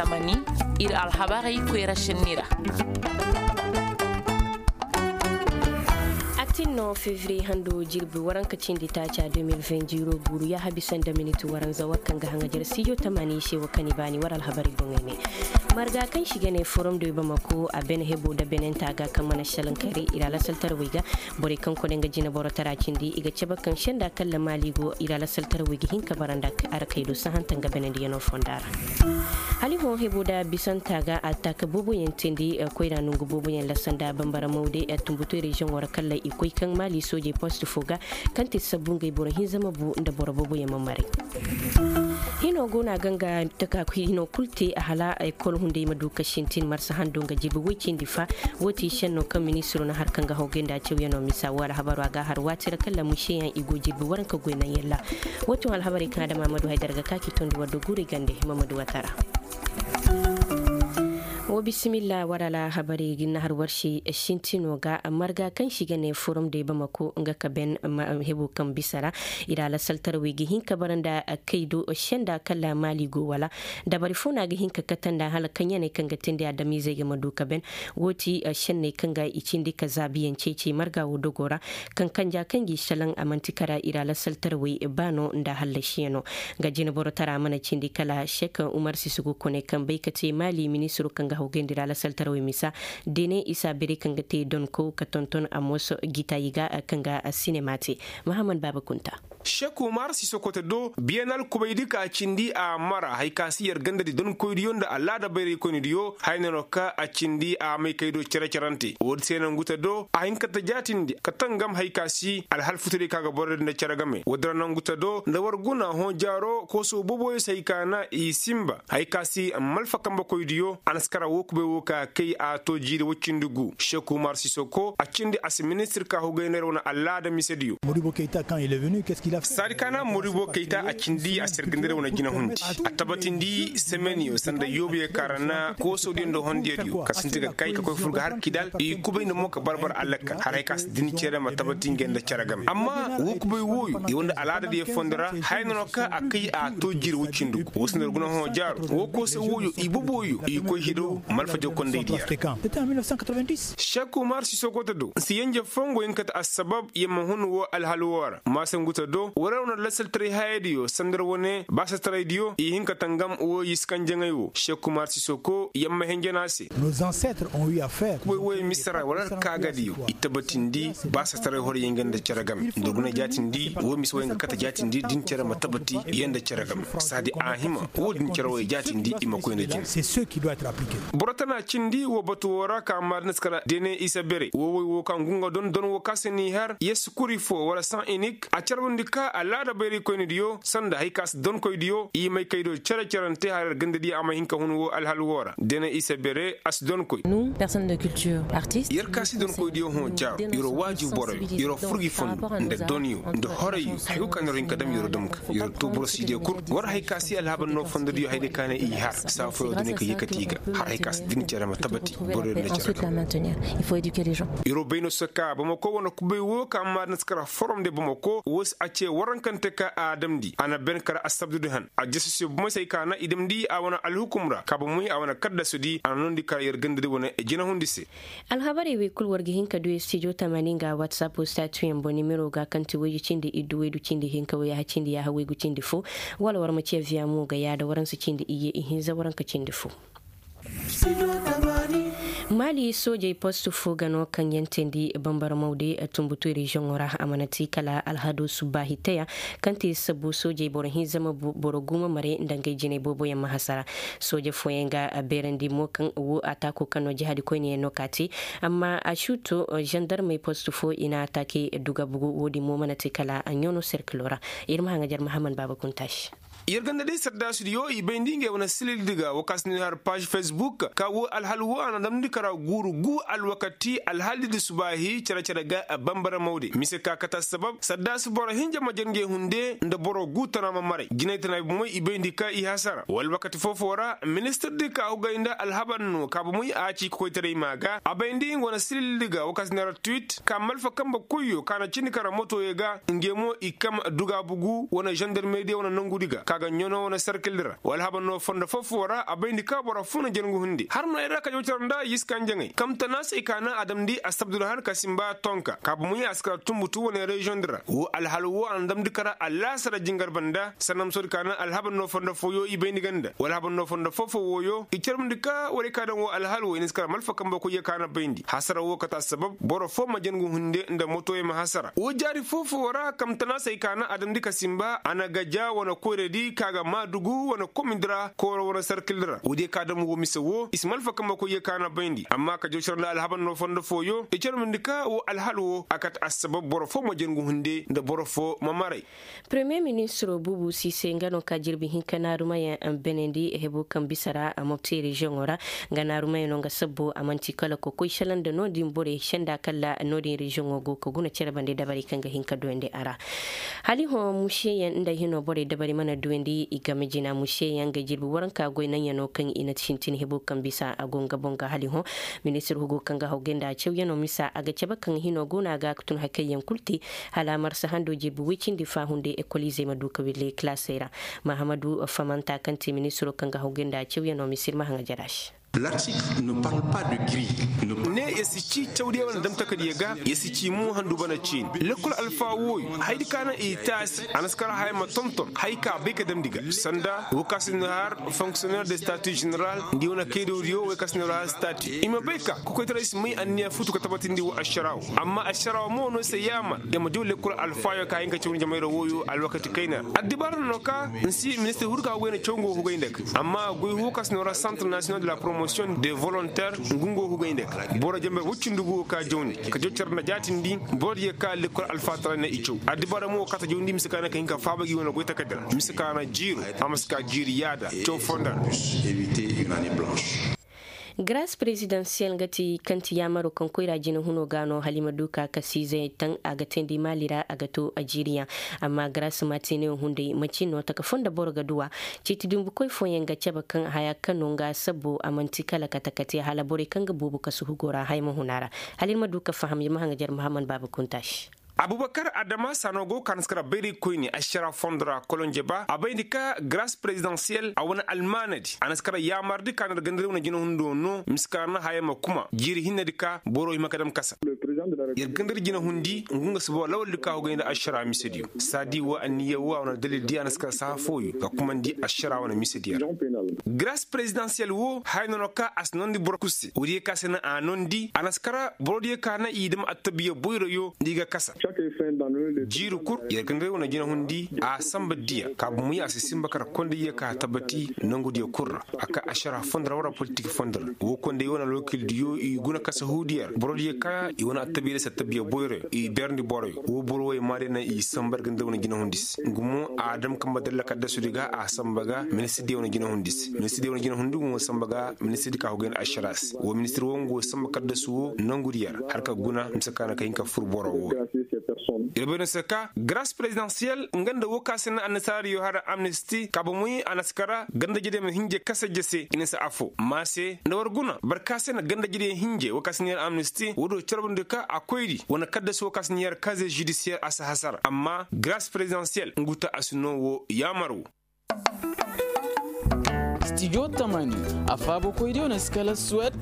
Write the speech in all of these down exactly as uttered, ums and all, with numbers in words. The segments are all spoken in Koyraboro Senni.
Tamani, ir alhabarey koyra sinni ra. Atin no fevriye hando jirbi waranka cindi taaca deux mille vingt zero guuru yaaha bisa nda minit waranza war kaŋ ga haŋajer studio tamani se wa kani baani war alhabarey boŋey ne. Marga kaŋ si ga ne forum de bamako a bene hebo nda benenta ga kaŋ mana salankare ir alasaltarawey ga. Borey kaŋ kone nga jina boro tara cindi i ga cabe kaŋ senda kalla maali go ir alasaltarawey ga hin ka bara nda arakey do sahanta nga benendiyanoo fonda ra. Hala i hõ hebo nda bisanta ga attaaka booboyaŋ teendi koyra nongu booboyaŋ lassa nda bambara mawde tumbutoy reziyoŋo ra kalla i koy kaŋ maali soojey post fo ga kaŋ te sabbu ngey boro hinza ma bu nda boro booboyaŋ ma maray. Hino go no a ga nga taka hino kulu te a hala ekol hunday ma du ka sintin marsa hando nga jibi woy cindi fa. Wo ti senno kaŋ ministiro na har kaŋ ga hawgay nda cawyanoo misa wo alhabaro a ga har waati ra kalla museyaŋ i go jirbi waranka goy naŋ yalla. Wo ti wo alhabarey kaŋ adama ma du haydara ga ka ci tondi war do guurey gande ma ma du watara. Wo bisimilla war alhabarey ga na har war se sintino ga marga kaŋ si ga ne forum de bamako nga ka ben hebo kaŋ bisa ra. I ra alasaltarawey ga hin ka bara nda kaydo senda kala maali go wala dabari fo no a ga hin ka kate nda hala kaŋ yaney kaŋ ga teendi adamizey ga ma du ka ben. Wo ti senney kaŋ ga i cindi ka zaabiyaŋ ceeci marga wo dogo ra. Kaŋ kanja kaŋ g'i salaŋ a man'ti kara i ra alasaltarawey ba no nda hallasiyaŋo. Nga jineboro tara mana cindi kala sek umar sisugu kone kaŋ bay ka te maali ministiro kaŋ ga hawgayndi ra alasaltarawey misa. Dene isa bere kaŋ ga te donko ka tonton amos gitayi ga kaŋ ga sinema te. Mahammad baaba kunta. Sek umar sisokote do biyanal kubaydi ka cindi a mara hari ka si yer gandadi donkoydiyo nda alaada bayraykoynidiyo haya no ka a cindi a may kaydo cere-cerante woodi se nangu te do a hin ka ta jaatindi ka tangam hari ka si alhal futudi ka ga borodi nda cere game woodi ra nangu te do nda war guna hõ jaaro kooso booboyo se hari ka na i sinba hari ka si malfa kambekoydiyo a na si kara woo kubay woo ka kay a to jiiri woy cindi gu sek umar sisoko a cindi a si ministir ka hugay nda yer wane alaada misediyo. Saadi kaana moribo kayta a cindi a sergandira wane jina hundi a tabatindi semeniyo sanda yoobiyo kaara na koosodiyo nda hondiyodiyo ka sinti ga kay ka koy fur ga har kidal i kubay nda mo ka barbar allakal haray ka si din cere ma tabati ngey nda cere game amma woo kubay wooyo i wanda alaadadiyo fondo ra haya no no ka a kay a to jiri woy cindi gu woo si nda ir guna hõ jaaro woo koose wooyo i boboyo i koy hido malfajo kondaydiyo ra. Sek umar sisoko te do si yenje fo ngo hin kate assabab yer ma hun woo alhal woo ra maasangu te do war yer wane lasaltaray hayadiyo sanda yer wane baasataray diyo i hin ka tangam woo yer si kanjaŋay woo sek umar sisoko yer ma henjana se. Kuboy wooyo misira war yer kaagadiyo i tabatindi baasataray horoyaŋ ga nda cere game nda guna jaatindi woo mise wooyaŋ ga kate jaatindi din cere ma tabati yer nda cere game saadi a hima woo din cere wooyo jaatindi i ma koy nda jina. Boro tana cindi woo batu woo ra ka maadinasi kala dene isa bere woo woy woo ka ngu nga don don woo ka se n'i har yer si kuri fo wala san inik a carbandi ka alaada bayraykoynidiyo sanda hari ka si donkoydiyo i may kaydo cere-cerante har yer gandadiyo a ma hin ka hun woo alhal woo ra dene isa bere a si donkoy. Yer ka si donkoydiyo hõ jaaro yer wo waaju boroyo yer wo furgi fondo nda donyo nda horoyo hari kul ka na yer wo hin ka dam yer wo dam ga yer wo too boro si diyo kul war hari ka si alhabar no fondodiyo hayday ka na i har saa fooyo duni ka yee kate i ga har hari ka si din cere ma tabati boroyo din cere ga. Yer wo bay no se ka bamako wane kubay woo ka maadinasi kara forom de bamako woo se a ce warankante ka a damndi a na ben kara assabdudi han a jese se bomey se hari ka na i damndi a wane alhukum ra ka bomey a wane kaddasudi a na noondi kara yer gandadi wane jinahundi se. Alhabarey wey kul war ga hin ka du studio tamani nga whatsapp statuyaŋ boŋ nimero ga kaŋ ti waydu cindi iddu waydu cindi hinka wayha cindi yaaha waygu cindi fo. Wala war ma ce via mo ga yaada waransa cindi iyye ihinza waranka cindi fo. Maali soojey post fo ga no kaŋ yaŋ teendi bambara mawde tumbutu reziyoŋo ra a mana ti kala alhado subbaahi teya kaŋ ti sabbu soojey boro hinza ma boro guuma mare nda ngey jinay booboyaŋ ma hasara. Sooje fooyaŋ ga beerandi mo kaŋ wo a taako kaŋ no jihaadi koyneyaŋ no ka te. Amma a suuto zandarmey post fo i na a taake duga bugu wo-din mo mana te kala a ɲoono serkilo ra. Ir ma haŋajer mahaman baaba kuntaasi. Yer ganda day saddaasidiyo i bayndi ngey wane silildi ga wo kaŋ si ni har paaž fesbuk ka wo alhal wo a na damndi kara guuru gu alwakati alhaldi di subaahi care-care ga bambara mawde mise ka kate assabab saddaasi boro hinja ma jer ngey hunde nda boro gu tana ma maray jinay tana bomey i bayndi ka i hasara wo alwakati foo-foo ra ministirdi ka hugay nda alhabar no ka bomey a ci kokoytaray maa ga a bayndi nga wane silildi ga wo kaŋ si ni har twiit ka malfa kambe koyyo ka na cindi kara motoyo ga ngey mo i kam duga bugu wane zandarmediyo wane nongudi ga. Ga ɲano wane sarkil di ra wa alhabar no fondo foo-foo ra a bayndi ka boro foo na jangu hunde har no ay ra ka jawcar nda yiskanjaŋey kamtana se ay ka naŋ a damndi assabdu ra har ka simba tonka ka bomoy a si kara tumbutu wane reziyoŋ di ra wo alhal wo a na damndi kara allaasara jingar banda sannamso di ka naŋ alhabar no fondo fooyo i bayndi ga nda wa alhabar no fondo foo-foo wooyo i carbundi ka warey ka daŋ wo alhal wo i na si kara malfa kambe koyye ka na bayndi hasara wo kate assabab boro foo ma jangu hunde nda motoyey ma hasara wo jaari foo-foo ra kamtana se ay ka naŋ a damndi ka simba a na gaja wane koyradi ka ga maadugu wane komindi ra kooro wane sarkil ra woodiyo ka dam woo mise woo i si malfa kambe koyye ka na bayndi amma ka jawcar nda alhabar no fondo fooyo i carbundi ka woo alhal woo a kate assabab boro foo ma jangu hunde nda boro foo ma maray. Premiyer ministiroo buubu siise nga no ka jirbi hinka naarumayaŋ benandi hebo kaŋ bisa ra a mopti reziyoŋo ra. Nga naarumayaŋo nga sabbo a man'ti kala kokoy selaŋ nda no-din borey senda kala no-din reziyoŋo go ka guna cere bande dabari kaŋ ga hin ka duyandi a ra. Hala i hõ mušeyaŋ nda hino borey dabari mana duyandi i game jina mušeyaŋ ga jirbi waranka goy naŋyaŋo kaŋ i na sintin hebo kaŋ bisa a go nga boŋ ga hala i hõ. Ministir hugo kaŋ ga hawgay nda cawyaŋo misa a ga cabe kaŋ hino go no a ga tun hakayyaŋ kul te hala marsa hando jirbi woy cindi faahunday ekoliizey ma du ka wille kilaasey ra. Mahamadu famanta kaŋ te ministiro kaŋ ga hawgay nda cawyaŋo misa ir ma haŋajer a se. Ne ya si ci cawdiyaŋ wane damtakadiyaŋ ga ya si ci mo handu bana ciini lekkol alfa wooyo hayadi ka naŋ i taasi a na si kar haya ma tonton haya ka bay ka damndi ga sanda wo ka si no har fonksiyonner de statu jeneral nda i wane kaydawdiyo wey ka si no har statu i ma bay ka kokoytaray si may anniya futu ka tabatindi wo ašaraawo amma ašaraawo mo no se yaamar i ma diw lekkol alfaayo ka hin ka cawndi jamayra wooyo alwakati kayna ra addibaara no ka nsi ministir hurga wayna caw nga wo hugay nda ga amma goy huuka si no ra santre national de la promotion de volontaire ngu nga wo hugay nda ga boro jambar woy cindi gu wo ka jawndi ka jaw care nda jaatindi boro diya ka lekkol alfaataray na i caw addibaara mo wo ka ta jawndi mise ka na ka hin ka faaba gi wane goy takaddi ra mise ka na jiiro a ma si ka jiiri yaada caw fonda ra. Garas perezidansiyel nga ti kaŋ ti yaamaro kaŋ koyra jina huno ga no hala i ma du ka kasiizey taŋ a ga teendi maali ra a ga to a jiiriyaŋ. Amma garas maatiniyo hunday manci no taka foo nda boro ga duw'a. Ciiti dumbukoy fooyaŋ ga cabe kaŋ haya kaŋ no nga sabbo a man'ti kala kate-kate hala borey kaŋ ga boobo kasu hugo ra haya ma hun a ra. Hala ir ma du ka faham ir ma haŋajer muhammad baaba kunta se. Abubakar adama saano go ka na si kara bayraykoyne ašara fondo ra kolonje ba a bayndi ka garas perezidansiyel a wane almaanadi a na si kara yaamardi ka na ir gandari wane jinahundo no mise ka na haya ma kuma jiiri hinnedi ka boro hima ka dam kasa. Ir gandari jinahundi ngu nga si boro lawaldi ka hugay nda ašara misediyo saadi wo anniya wo a wane dalildi a na si kara saha fooyo ka kumandi ašara wane misediyo ra. Garas perezidansiyel wo haya no no ka a si noondi boro kul se woodiyo ka se no a noondi a na si kara borodiyo ka na i dam attabiya boyroyo nda i ga kasa. Jiiri kul yer ga nda yer wane jinahundi a samba diya ka bomoy a si simba kar kondiyo ka tabati nongudiyo kul ra a ka ašara fondo ra wara politik fondo ra wo kondiyo wane alwakildiyo i guna kasa huudiyo ra borodiyo ka i wane attabiya da si attabiya boyroyo i berndi boroyo wo boro wey maa day na i samba yer ga nda yer wane jinahundi se ngu mo a dam kamba dalla kaddasudi ga a samba ga ministirdiyo wane jinahundi se ministirdiyo wane jinahundi ngu mo samba ga ministirdi ka hugayn ašara se wo ministir wo ngu wo samba kaddasu wo nongudiyo ra har ka guna mise ka na ka hin ka fur boro wo. Ir bay no se ka garas perezidansiyel nga nda wo ka se na annasaariyo har amnisti ka bomoy a na si kara gandajediyo ma hinje kasa jese i na si afo ma se nda war guna boro ka se na gandajediyo hinje wo ka se na yer amnisti wo do carbundi ka a koyri wane kaddasu wo ka se na yer kaze judisiyer a si hasara amma garas perezidansiyel ngu ta a si no wo yaamar wo. Stijo tamani a faabakoydiyo na si kala suwed,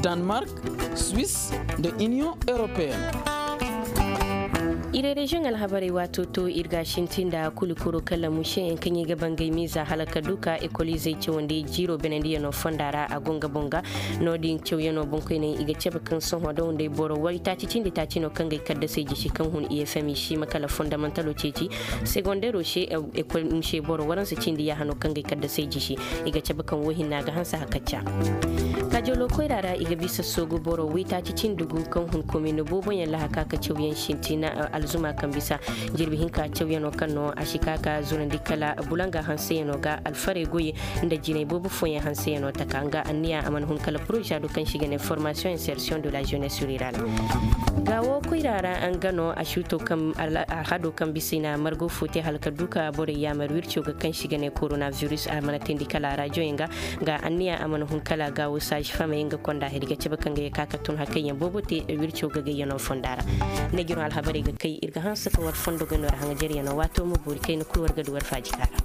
danmark, swis, nda iniyoŋ europeen. Ire reziyoŋ alhabarey waato to ir ga a sinti nda kuli kuru kala mušeyaŋ kaŋ i ga bangay miiza hala ka du ka ekoliizey cawandi jiiro benandiyano fonda ra a go nga boŋ ga. No-din cawyaŋo boŋkoyney i ga cabe kaŋ sohõ da hunday boro waytaaci cindi taaci no kaŋ ga ay kaddasey jisi kaŋ hun i fm i si hima kala fondamantalo ceeci. Segondero se ekol muse boro waransa cindi yaaha no kaŋ ga ay kaddasey jisi. I ga cabe kaŋ wo hinna ga hanse hakacca. Kaajoolo koyra ra i ga bisa soogu boro waytaaci cindi gu kaŋ hun komin booboyaŋ lahaka ka cawyaŋ sintina alzuma kaŋ bisa jirbi hinka cawyaŋo kaŋ no a si ka ka zurandi kala bulanga hanseyaŋo ga alfarey goyey nda jinay boobo fooyaŋ hanseyaŋo taka nga anniya a mana hun kala poroza do kaŋ se i ga ne formasiyoŋ insersiyoŋ de la jenes rurale. Gaawo koyra ra nga no a suuto kaŋ alhado kaŋ bisa i na margo fo te hala ka du ka borey yaamar wirco ga kaŋ se i ga ne korona viris a mana teendi kala a rajoyaŋ ga. Nga anniya a mana hun kala gaawo saazi famey nga konda hedi ga cabe kaŋ ga ye ka ka tun hakayyaŋ boobo te wirco gagayyaŋo fonda ra. Neejiroŋ alhabarey ga kay ir ga hanse ka war fondo gano ra haŋajaryaŋo waato ma boori kayna kul war ga du war faaji ka ra.